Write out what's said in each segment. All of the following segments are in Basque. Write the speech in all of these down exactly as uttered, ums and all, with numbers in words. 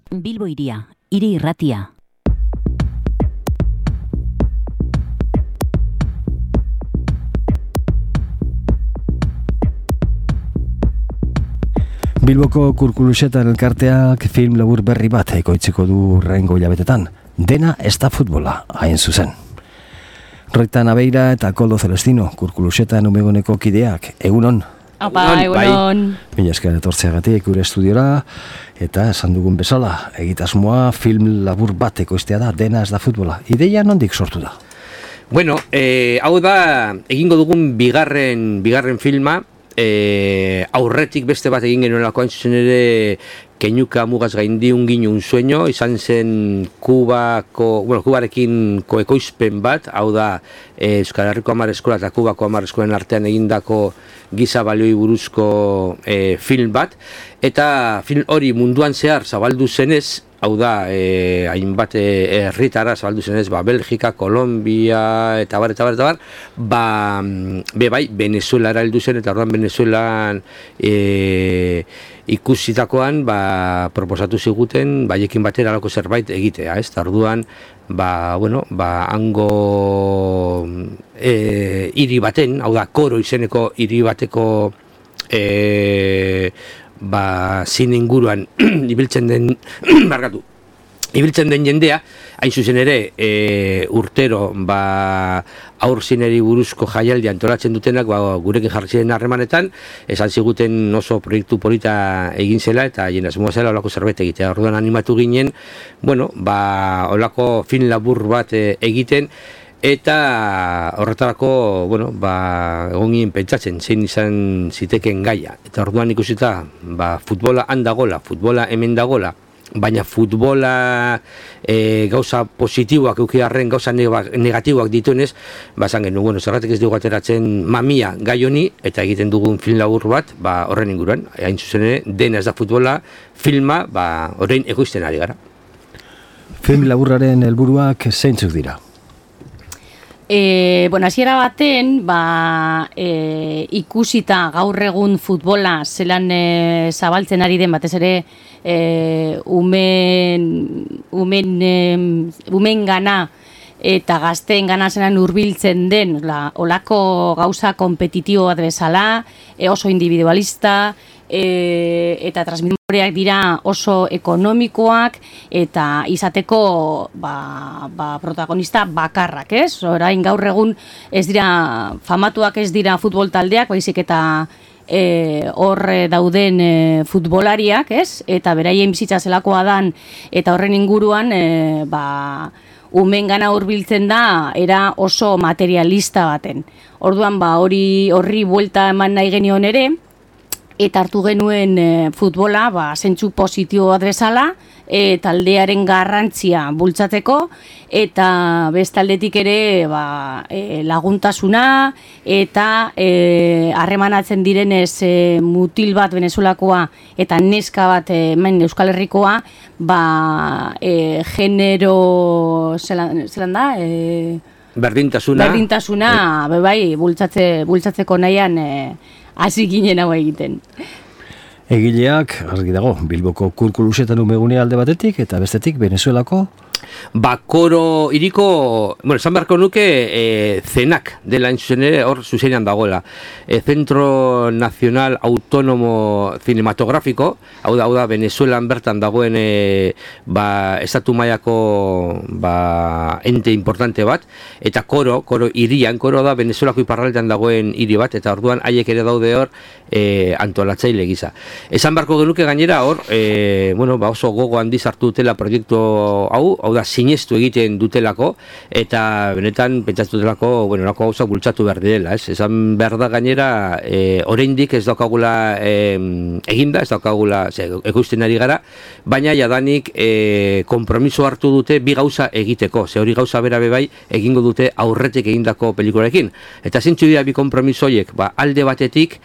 Bilbo Hiria, hiri irratia. Bilboko Kurkulusetan elkarteak film labur berri bat ekoitziko du rengo hilabetetan. Dena ez da futbola, hain zuzen. Roitan Abeira eta Koldo Celestino, Kurkulusetan umegoneko kideak, egunon? Apa, egunon. Mila esker etortzeagatik gure estudiora, eta esan dugun bezala, egitasmoa film labur bat ekoiztea da, dena ez da futbola. Ideia nondik sortu da? Bueno, eh, hau da, egingo dugun bigarren, bigarren filma, eh, aurretik beste bat egin genuelako hain zuzen ere Keinuka mugaz gaindi un guiño un sueño, izan zen Kubako, bueno, Kubarekin koekoizpen bat, hau da eh, Euskal Herriko hamar eskola eta Kubako hamar eskolen artean egindako giza balioi buruzko eh, film bat, eta film hori munduan zehar zabaldu zenez, hau da, eh, hainbat herritara eh, zabaldu zenez, ba, Belgika, Kolombia, eta bar, eta bar, eta bar, ba, be bai, Venezuela heldu zen, eta orduan Venezuelan eh, ikusitakoan, ba, proposatu ziguten, baiekin batera alako zerbait egitea, ez? Ta orduan, ba, bueno, ba, hango e, hiri baten, hau da, Koro izeneko hiri bateko e, ba, zine inguruan ibiltzen den, barkatu, ibiltzen den jendea, hain zuzen ere, e, urtero, ba, aur zineri buruzko jaialdi antolatzen dutenak, ba, gurekin jarri ziren harremanetan, esan ziguten oso proiektu polita egin zela, eta jena asmoa zela olako zerbait egitea. Orduan animatu ginen, bueno, ba, olako film labur bat e, egiten, eta horretarako, bueno, ba, egon ginen pentsatzen, zein izan ziteken gaia. Eta orduan ikusita, ba, futbola handagola, futbola hemen dagola, baina futbola e, gauza positiboak eukiarren gauza negatiboak dituenez, bazan genuen, bueno, zerratik ez dugu ateratzen mamia gai honi, eta egiten dugun film labur bat, ba, horren inguruan, hain zuzen ere, dena ez da futbola, filma, ba, horrein ekoizten ari gara. Film laburraren helburuak zeintzuk dira? E, bueno, hasiera baten, ba, e, ikusita gaur egun futbola zelan e, zabaltzen ari den, batez ere e, umen, umen, e, umen gana eta gazteen gana zelan hurbiltzen den, la, olako gauza kompetitibo bat bezala, e, oso individualista, e, eta transmitoreak dira oso ekonomikoak, eta izateko ba, ba, protagonista bakarrak, ez? Orain gaur egun ez dira, famatuak ez dira futbol taldeak, baizik eta e, hor dauden e, futbolariak, ez? Eta beraien bizitza zelakoa dan, eta horren inguruan, e, ba, umen gana hurbiltzen da, era oso materialista baten. Orduan, ba, hori horri buelta eman nahi genion ere, eta hartu genuen e, futbola, ba, zentzu positibo bat bezala, e, taldearen garrantzia bultzatzeko, eta bestaldetik ere ba, e, laguntasuna, eta e, harremanatzen direnez e, mutil bat Venezuelakoa, eta neska bat e, hemen Euskal Herrikoa, ba, e, genero, zelan, zelan da, e, berdintasuna, berdintasuna e, bai, bultzatze, bultzatzeko nahian, e, hasi ginen hau egiten. Egileak, argi dago, Bilboko Kurkulusetan umegune alde batetik, eta bestetik Venezuelako? Ba, Koro iriko, bueno, esan beharko nuke e, zenak dela zuzen ere hor zuzenean dagoela. E, Centro Nacional Autonomo Cinematográfico, hau da, hau da, Venezuelan bertan dagoen e, ba, estatu mailako ba, ente importante bat, eta Koro, Koro irian, Koro da Venezuelako iparraldean dagoen hiri bat, eta orduan haiek ere daude hor e, antolatzaile gisa. Esan beharko genuke gainera hor, e, bueno, ba, oso gogo handiz hartu dutela proiektu hau, hau da, sinestu egiten dutelako, eta benetan pentsatu dutelako, bueno, lako gauza bultzatu behar direla, ez? Esan behar da gainera, e, oraindik ez daukagula e, eginda, ez daukagula, ze, ekoizten ari gara, baina jadanik e, kompromiso hartu dute bi gauza egiteko, ze hori gauza bera bebai egingo dute aurretik egindako pelikularekin. Eta zintzu dira bi kompromiso horiek, ba, alde batetik,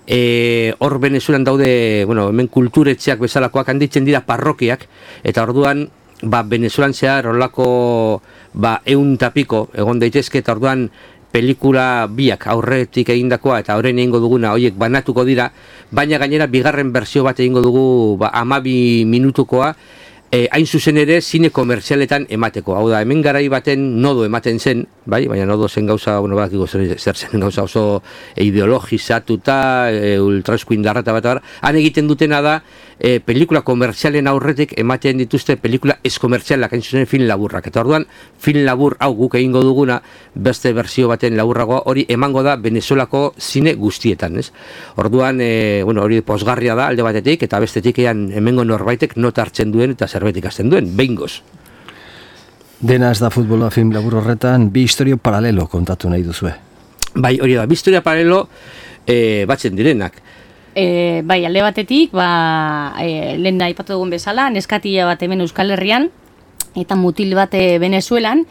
E, hor Venezuelan daude, bueno, hemen kulturetxeak bezalakoak handitzen dira parrokiak, eta orduan, ba, Venezuelan zehar horlako, ba, eun tapiko egon daitezke, eta orduan pelikula biak aurretik egindakoa eta horren egingo duguna horiek banatuko dira, baina gainera bigarren bertsio bat egingo dugu ba, hamabi minutukoa, E, hain zuzen ere zine komerzialetan emateko. Hau da, hemen garai baten nodo ematen zen, bai, baina nodo zen gauza, bueno, badakiko zer, zer zen gauza oso ideologizatuta, e, ultraeskuindarra eta bat, han egiten dutena da, e, pelikula komerzialen aurretik ematen dituzte pelikula eskomerzialak, hain zuzen film laburrak. Eta orduan, film labur hau guk egingo duguna, beste berzio baten laburragoa, hori emango da Venezuelako zine guztietan, ez? Orduan, e, bueno, hori posgarria da alde batetik, eta bestetik ean hemengo norbaitek nota hartzen duen, eta zerbait ikasten duen, behingoz. Dena ez da futbola film labur horretan, bi historio paralelo kontatu nahi duzue. Bai, hori da, bi historia paralelo e, batzen direnak. E, bai, alde batetik, ba, e, lehen da aipatu dugun bezala, neskatia bat hemen Euskal Herrian, eta mutil bat Venezuelan,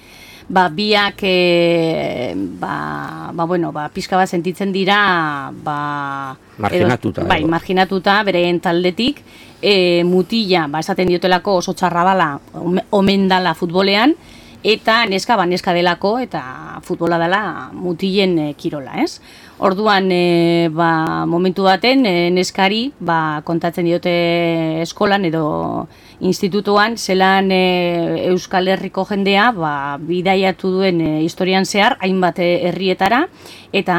ba, biak, e, ba, ba, bueno, ba, pixka bat sentitzen dira, ba, marginatuta. Edo, bai, marginatuta, bereen taldetik, e, mutila, ba, esaten diotelako oso txarra dala, omen dala futbolean, eta neska, ba, neska delako, eta futbola dela mutilen e, kirola, ez? Orduan, e, ba, momentu baten, e, neskari, ba, kontatzen diote eskolan edo institutuan, zelan e, Euskal Herriko jendea, ba, bidaiatu duen e, historian zehar, hainbat herrietara, eta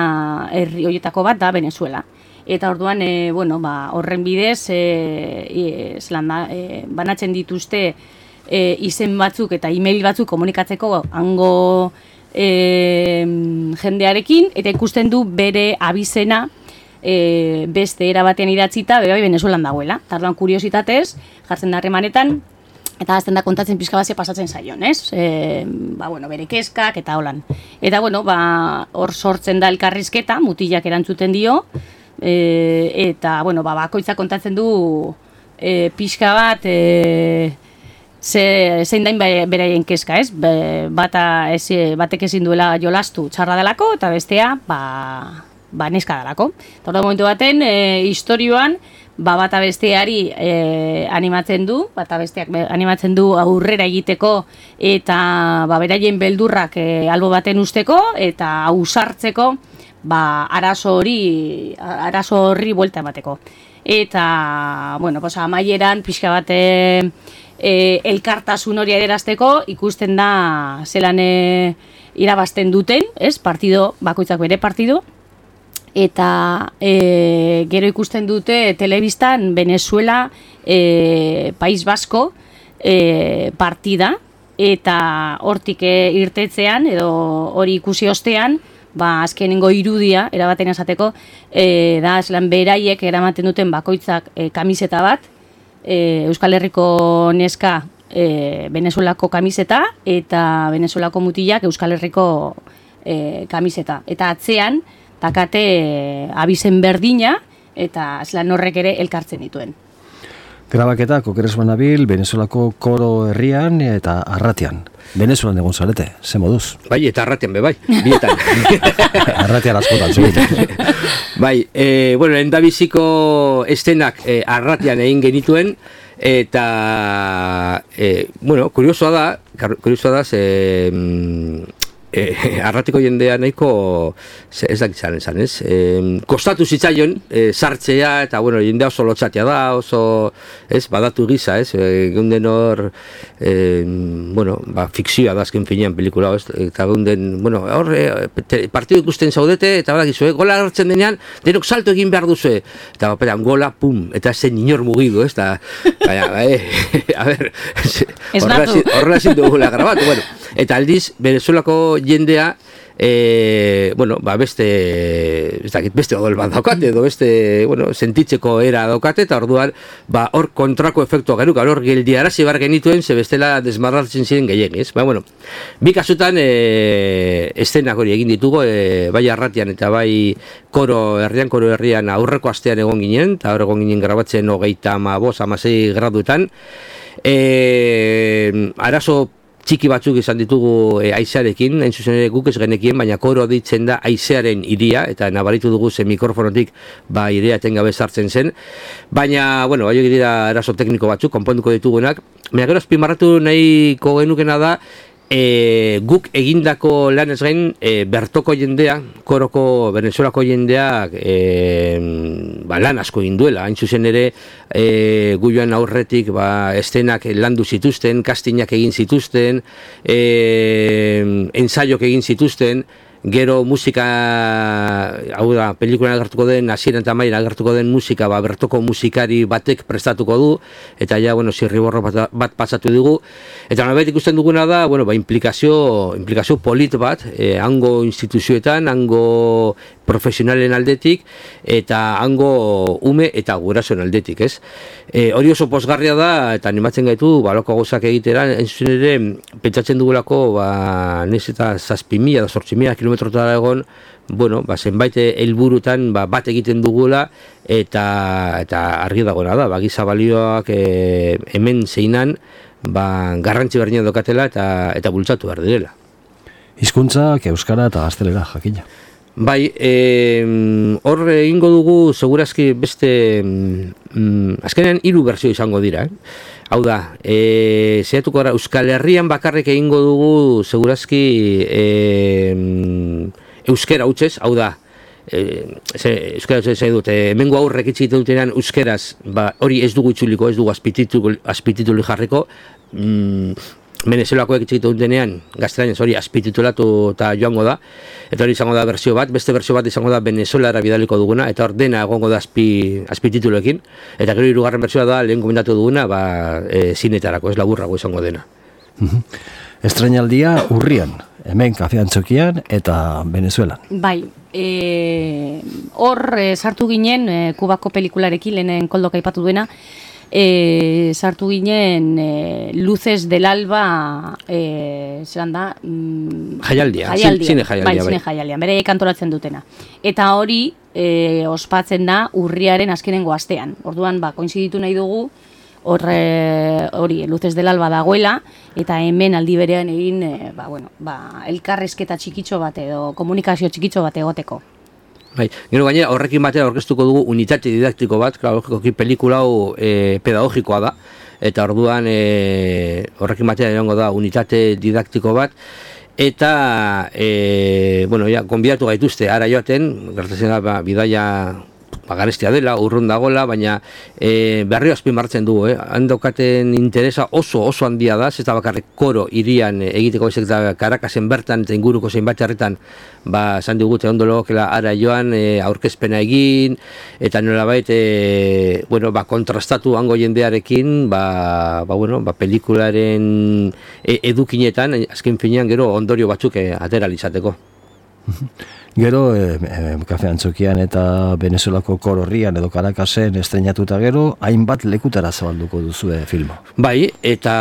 herri horietako bat da Venezuela. Eta orduan, e, bueno, ba, horren bidez, e, e, zelan da, e, banatzen dituzte e, izen batzuk eta email batzuk komunikatzeko hango E, jendearekin, eta ikusten du bere abizena e, beste era batean idatzita, bai Venezuelan dagoela. Tarduan kuriositatez, jartzen da harremanetan, eta azten da kontatzen pixka bazia pasatzen zaion, ez? E, ba, bueno, bere keskak eta holan. Eta, bueno, ba, hor sortzen da elkarrizketa, mutilak erantzuten dio, e, eta, bueno, ba, bakoitza kontatzen du e, pixka bat, e, Ze, zein dain beraien kezka, ez? Be, bata ez, batek ezin duela jolastu txarra delako, eta bestea, ba, ba neska delako. Eta hori momentu baten, e, historioan, ba, bata besteari e, animatzen du, bata besteak animatzen du aurrera egiteko, eta ba, beraien beldurrak e, albo baten usteko, eta ausartzeko, ba, arazo hori, arazo horri buelta emateko. Eta, bueno, pues, amaieran, pixka bate, E, elkartasun hori adierazteko ikusten da zelan e, irabazten duten, ez? Partido, bakoitzak bere partido, eta e, gero ikusten dute telebistan Venezuela e, País Basko e, partida, eta hortik e, irtetzean edo hori ikusi ostean, ba, azkenengo irudia erabaten esateko, e, da zelan beraiek eramaten duten bakoitzak e, kamiseta bat, E, Euskal Herriko neska e, Venezuelako kamiseta eta Venezuelako mutilak Euskal Herriko e, kamiseta. Eta atzean, takate e, abizen berdina eta zelan horrek ere elkartzen dituen. Grabaketa Okeres banabil, Venezuelako koro herrian eta arratian. Venezuelan egon zarete, ze moduz? Bai, eta arratian be, bai, bietan. Arratian askotan, zubit. Bai, e, bueno, endabiziko estenak e, arratian egin genituen, eta, e, bueno, kuriosoa da, kuriosoa da, ze, e, arratiko jendea nahiko, ez dakitzaren esan, ez? E, kostatu zitzaion, e, sartzea, eta, bueno, jendea oso lotxatia da, oso, ez, badatu gisa, ez? E, geunden hor, e, bueno, ba, fikzioa da azken finean pelikula, ez? Eta geunden, bueno, hor, e, partidu ikusten zaudete, eta badakizu, eh? Gola hartzen denean, denok salto egin behar duzu, eta bapetan, gola, pum, eta zen inor mugidu, ez? Eta, baina, e, a ber, horrela zin dugula grabatu, bueno, eta aldiz, Venezuelako jendea, e, bueno, ba beste, ez dakit, beste odol bat daukate, edo beste, bueno, sentitzeko era daukate, eta orduan, ba, hor kontrako efektua genuka, hor geldiarazi bar genituen, ze bestela desmarratzen ziren gehiagiz. Ba, bueno, bi kasutan, e, estenak hori egin ditugu, e, bai arratian eta bai koro herrian, koro herrian aurreko astean egon ginen, eta hor egon ginen grabatzen hogeita ama bost, amasei graduetan. E, arazo txiki batzuk izan ditugu e, aizearekin, hain zuzen ere guk ez genekien, baina koro ditzen da aizearen iria, eta nabaritu dugu ze mikrofonotik ba iria etengabe sartzen zen, baina, bueno, bai dira arazo tekniko batzuk, konponduko ditugunak, baina gero azpimarratu nahiko genukena da, E, guk egindako lanez gain, e, bertoko jendea, koroko Venezuelako jendeak e, ba, lan asko egin duela. Hain zuzen ere, e, gu joan aurretik ba, estenak landu zituzten, castingak egin zituzten, e, ensaiok egin zituzten, gero musika, hau da, pelikulan agertuko den, hasieran eta amaian agertuko den musika, ba, bertoko musikari batek prestatuko du, eta ja, bueno, zirriborro bat, bat pasatu dugu. Eta nolabait ikusten duguna da, bueno, ba, implikazio, implikazio polit bat, eh, hango instituzioetan, hango profesionalen aldetik, eta hango ume eta gurasoen aldetik, ez? E, hori oso pozgarria da, eta animatzen gaitu, baloko gauzak egitera, entzun ere, pentsatzen dugulako, ba, nez eta zazpi mila, da zortzi mila kilometrotara egon, bueno, ba, zenbait helburutan ba, bat egiten dugula, eta, eta argi dagoena da, ba, giza balioak e, hemen zeinan, ba, garrantzi berdina dokatela, eta, eta bultzatu behar direla. Hizkuntzak euskara eta gaztelera, jakina. Bai, hor e, egingo dugu segurazki beste mm, azkenean hiru berzio izango dira, eh? Hau da, e, zehatuko gara, Euskal Herrian bakarrik egingo dugu segurazki e, euskera hutsez, hau da, e, ze, euskera hutsez nahi dut, e, hemengo aurrek itxik dutenean euskeraz, ba, hori ez dugu itzuliko, ez dugu azpitituli jarriko, mm, Venezuelakoek itxik dutenean gaztelaniaz hori azpititulatu eta joango da, eta hori izango da berzio bat, beste berzio bat izango da Venezuelara bidaliko duguna, eta hor dena egongo da azpi, azpitituloekin, eta gero hirugarren berzioa da lehen komentatu duguna, ba, e, zinetarako, ez laburrago izango dena. Estrenaldia urrian, hemen Kafean Txokian eta Venezuelan. Bai, e, hor e, sartu ginen, e, Kubako pelikularekin lehenen Koldok aipatu duena, E, sartu ginen e, Luces del Alba e, zelan da mm, jaialdia, jaialdia. Zine jaialdia, bai, zine jaialdia, bere kantoratzen dutena, eta hori e, ospatzen da urriaren azkenengo astean, orduan ba, koinziditu nahi dugu horre, hori Luces del Alba dagoela, eta hemen aldi berean egin e, ba, bueno, ba, elkarrezketa txikitxo bat edo komunikazio txikitxo bat egoteko. Bai, gero gainera horrekin batera aurkeztuko dugu unitate didaktiko bat, klar, logikoki pelikula hau e, pedagogikoa da, eta orduan e, horrekin batera egongo da unitate didaktiko bat, eta e, bueno, ja, konbidatu gaituzte ara joaten, gertatzen da ba, bidaia ba, garestia dela, urrun dagoela, baina e, berrio azpimartzen dugu, eh? Handokaten interesa oso oso handia da, ez da bakarrik koro irian egiteko bezak da Karakasen bertan eta inguruko zeinbat herritan ba, esan digute ondo logokela ara joan e, aurkezpena egin, eta nolabait e, bueno, ba, kontrastatu hango jendearekin, ba, ba, bueno, ba, pelikularen e, edukinetan, azken finean gero ondorio batzuk e, atera izateko. Gero, e, e, Kafean Txokian eta Venezuelako kororrian edo Karakasen estrenatuta gero, hainbat lekutara zabalduko duzue filma. Bai, eta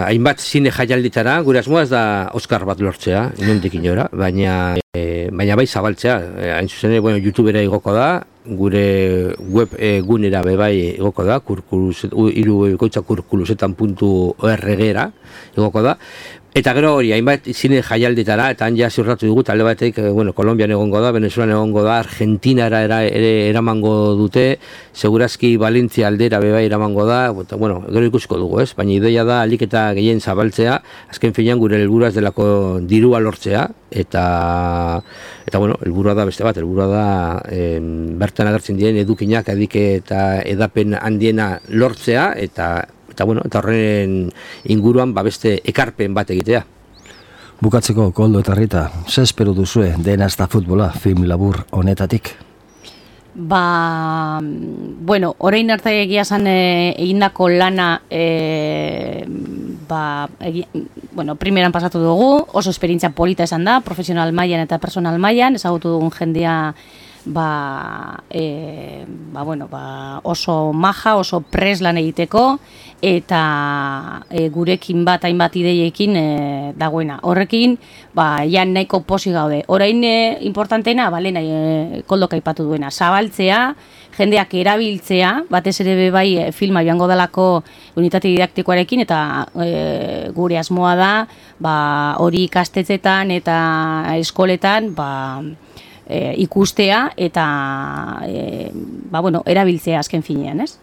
hainbat zine jaialditara, gure asmoa ez da Oscar bat lortzea, inondik inora, baina, e, baina bai zabaltzea. E, hain zuzen, bueno, YouTubera igoko da, gure web e, gunera bebai igoko da, hiru goitza kurkulusetan puntu org-era igoko da. Eta gero hori, hainbat zine jaialditara, eta han ja ziurratu dugu, talde batek, bueno, Kolombian egongo da, Venezuelan egongo da, Argentinara era, ere eramango dute, segurazki Valentzia aldera bebai eramango da, eta, bueno, gero ikusiko dugu, ez? Baina ideia da, alik eta gehien zabaltzea, azken finean gure helburua ez delako dirua lortzea, eta, eta bueno, helburua da beste bat, helburua da em, bertan agertzen diren edukinak, adike eta edapen handiena lortzea, eta eta bueno, eta horren inguruan ba beste ekarpen bat egitea. Bukatzeko, Koldo eta Rita, ze espero duzue dena ez da futbola film labur honetatik? Ba, bueno, orain arte egia esan e, egindako lana e, ba, egi, bueno, primeran pasatu dugu, oso esperientzia polita esan da, profesional mailan eta personal mailan, ezagutu dugun jendea ba, e, ba, bueno, ba, oso maja, oso pres lan egiteko, eta e, gurekin bat hainbat ideiekin e, dagoena. Horrekin, ba, ja nahiko posi gaude. Orain e, importanteena, ba, lehen e, Koldok aipatu duena, zabaltzea, jendeak erabiltzea, batez ere be bai e, filma joango dalako unitate didaktikoarekin, eta e, gure asmoa da, ba, hori ikastetzetan eta eskoletan, ba, E, ikustea eta e, ba, bueno, erabiltzea azken finean, ez?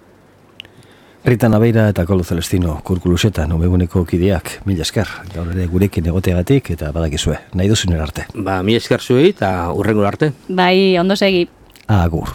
Rita Nabeira eta Koldo Celestino Kurkuluseta nomeguneko kideak, mila esker, gaur ere gurekin egoteagatik eta badakizue, nahi duzun arte. Ba, mila esker zuei eta urrengo arte. Bai, ondo segi. Agur.